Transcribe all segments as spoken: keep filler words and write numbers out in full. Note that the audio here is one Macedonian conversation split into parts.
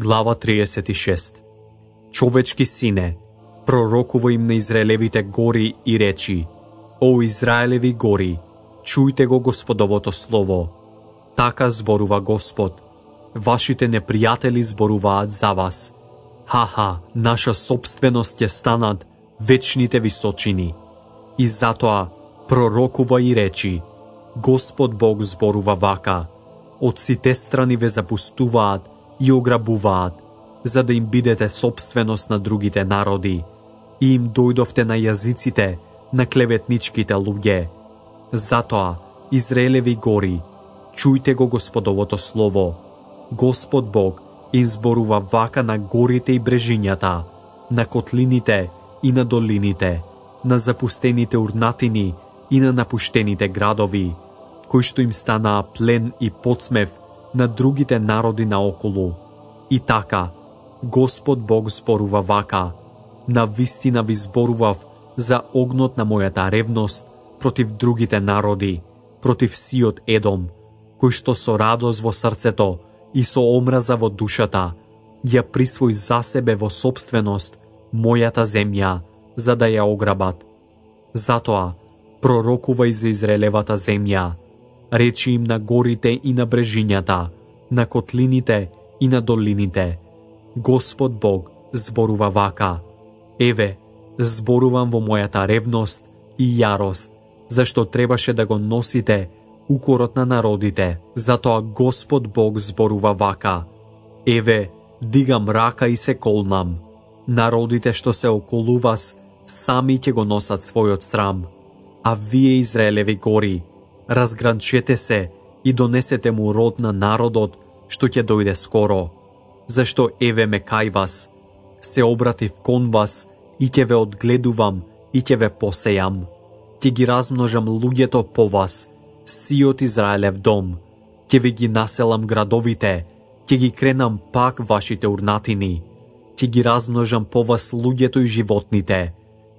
Глава триесет и шеста. Човечки сине, пророкува им на Израелевите гори и речи: О Израелеви гори, чујте го Господовото слово. Така зборува Господ: Вашите непријатели зборуваат за вас. Ха-ха, наша собственост ќе станат вечните височини. И затоа пророкува и речи: Господ Бог зборува вака: Од сите страни ве запустуваат и ограбуваат, за да им бидете собственост на другите народи. И им дојдовте на јазиците на клеветничките луѓе. Затоа, Израелеви гори, чујте го Господовото слово. Господ Бог им зборува вака на горите и брежињата, на котлините и на долините, на запустените урнатини и на напуштените градови, кои што им станаа плен и подсмев на другите народи наоколу. И така, Господ Бог зборува вака: Навистина ви зборував за огнот на мојата ревност против другите народи, против сиот Едом, кој што со радост во срцето и со омраза во душата ја присвои за себе во собственост мојата земја, за да ја ограбат. Затоа пророкувај за Израелевата земја, речи им на горите и на брежињата, на котлините и на долините: Господ Бог зборува вака: Еве, зборувам во мојата ревност и јарост, зашто требаше да го носите укорот на народите. Затоа Господ Бог зборува вака: Еве, дигам рака и се колнам. Народите што се околу вас сами ќе го носат својот срам. А вие, Израелеви гори, разгранчете се и донесете му род на народот што ќе дојде скоро. Зашто еве ме кај вас, се обратив кон вас и ќе ве одгледувам и ќе ве посејам. Ќе ги размножам луѓето по вас, сиот Израелев дом. Ќе ви ги населам градовите, ќе ги кренам пак вашите урнатини. Ќе ги размножам по вас луѓето и животните.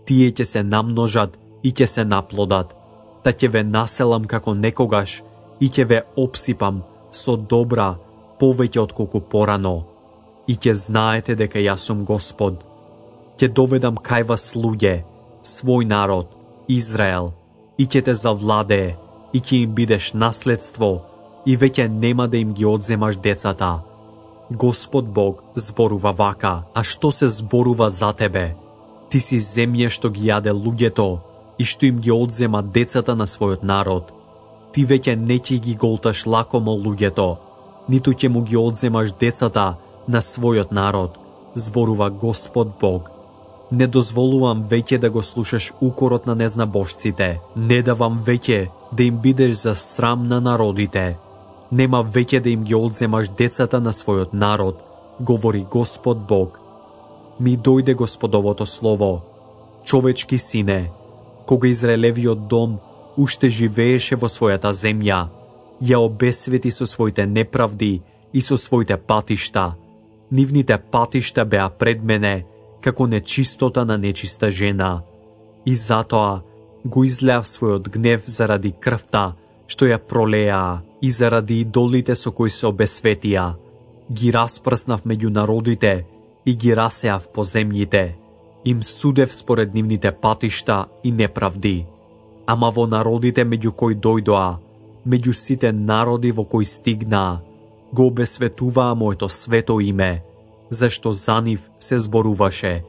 Тие ќе се намножат и ќе се наплодат. Та ќе ве населам како некогаш и ќе ве обсипам со добра повеќе отколку порано. И ќе знаете дека јас сум Господ. Ќе доведам кај вас луѓе, свој народ, Израел, и ќе те завладее, и ќе им бидеш наследство, и веќе нема да им ги одземаш децата. Господ Бог зборува вака: А што се зборува за тебе? Ти си земја што ги јаде луѓето и што им ги одзема децата на својот народ. Ти веќе не ќе ги голташ лакомо луѓето, ниту ќе му ги одземаш децата на својот народ, зборува Господ Бог. Не дозволувам веќе да го слушаш укорот на незнабожците, не давам веќе да им бидеш за срам на народите. Нема веќе да им ги одземаш децата на својот народ, говори Господ Бог. Ми дојде Господовото слово: Човечки сине, кога Израелевиот дом уште живееше во својата земја, ја обесвети со своите неправди и со своите патишта. Нивните патишта беа пред мене како нечистота на нечиста жена. И затоа го излеав својот гнев заради крвта што ја пролеаа и заради идолите со кои се обесветија. Ги распрснав меѓу народите и ги расеав по земјите. Им судев според нивните патишта и неправди. Ама во народите меѓу кои дојдоа, меѓу сите народи во кои стигнаа, го обесветуваа моето свето име, зашто за нив се зборуваше: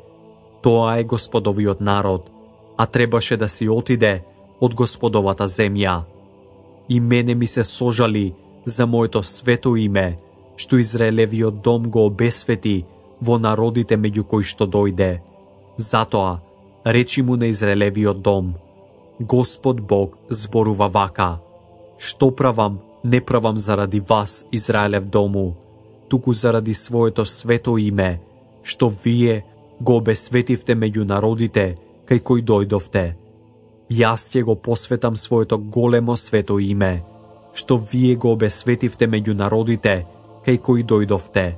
Тоа е Господовиот народ, а требаше да си отиде од Господовата земја. И мене ми се сожали за моето свето име, што Израелевиот дом го обесвети во народите меѓу кои што дојде. Затоа речи му на Израелевиот дом: Господ Бог зборува вака: Што правам, не правам заради вас, Израелев дому, туку заради своето свето име, што вие го обесветивте меѓу народите кај кои дојдовте. Јас ќе го посветам своето големо свето име, што вие го обесветивте меѓу народите кај кои дојдовте.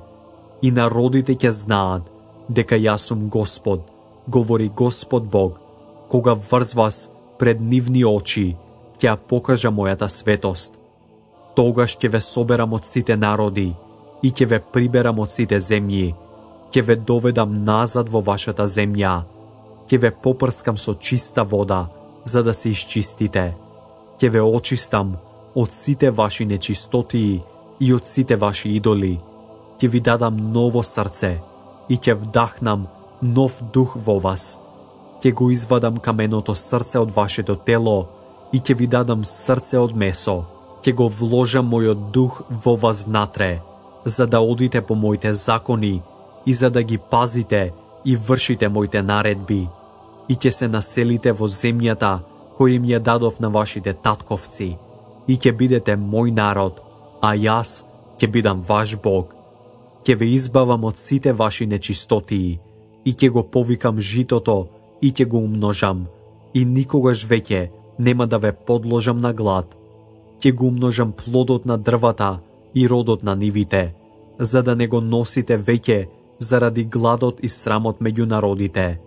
И народите ќе знаат дека јас сум Господ, говори Господ Бог, кога врз вас пред нивни очи ќе ја покажа мојата светост. Тогаш ќе ве соберам од сите народи и ќе ве приберам од сите земји, ќе ве доведам назад во вашата земја, ќе ве попрскам со чиста вода, за да се исчистите, ќе ве очистам од сите ваши нечистотии и од сите ваши идоли, ќе ви дадам ново срце и ќе вдахнам нов дух во вас, ќе го извадам каменото срце од вашето тело и ќе ви дадам срце од месо, ќе го вложам мојот дух во вас внатре, за да одите по моите закони и за да ги пазите и вршите моите наредби, и ќе се населите во земјата која им ја дадов на вашите татковци, и ќе бидете мој народ, а јас ќе бидам ваш Бог. Ќе ве избавам од сите ваши нечистотии, и ќе го повикам житото, и ќе го умножам, и никогаш веќе нема да ве подложам на глад. Ќе го умножам плодот на дрвата и родот на нивите, за да не го носите веќе заради гладот и срамот меѓу народите.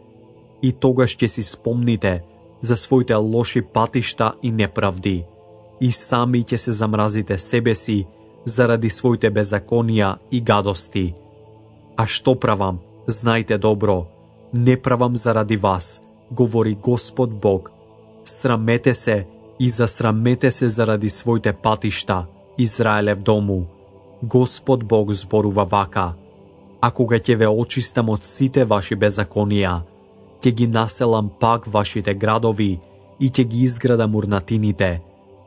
И тогаш ќе си спомните за своите лоши патишта и неправди, и сами ќе се замразите себе си заради своите беззаконија и гадости. А што правам, знајте добро, не правам заради вас, говори Господ Бог. Срамете се и засрамете се заради своите патишта, Израелев дому. Господ Бог зборува вака: а кога ќе ве очистам од сите ваши беззаконија, ќе ги населам пак вашите градови и ќе ги изградам урнатините.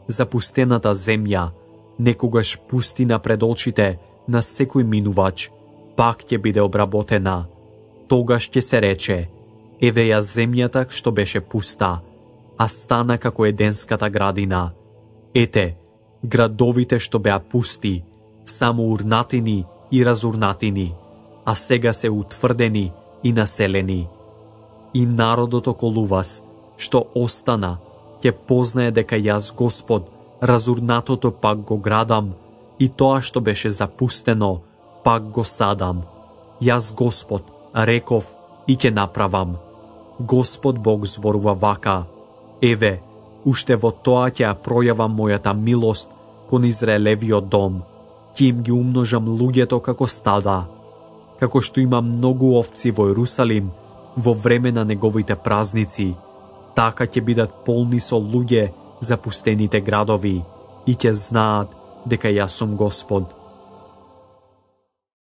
Запустената земја, некогаш пустина пред очите на секој минувач, пак ќе биде обработена. Тогаш ќе се рече: еве ја земјата што беше пуста, а стана како еденската градина. Ете, градовите што беа пусти, само урнатини и разурнатини, а сега се утврдени и населени. И народот околу вас, што остана, ќе познае дека јас Господ разурнатото пак го градам и тоа што беше запустено пак го садам. Јас Господ реков и ќе направам. Господ Бог зборува вака: еве, уште во тоа ќе ја пројавам мојата милост кон Израелевиот дом, ќе им ги умножам луѓето како стада. Како што има многу овци во Ерусалим во време на неговите празници, така ќе бидат полни со луѓе запустените градови и ќе знаат дека јас сум Господ.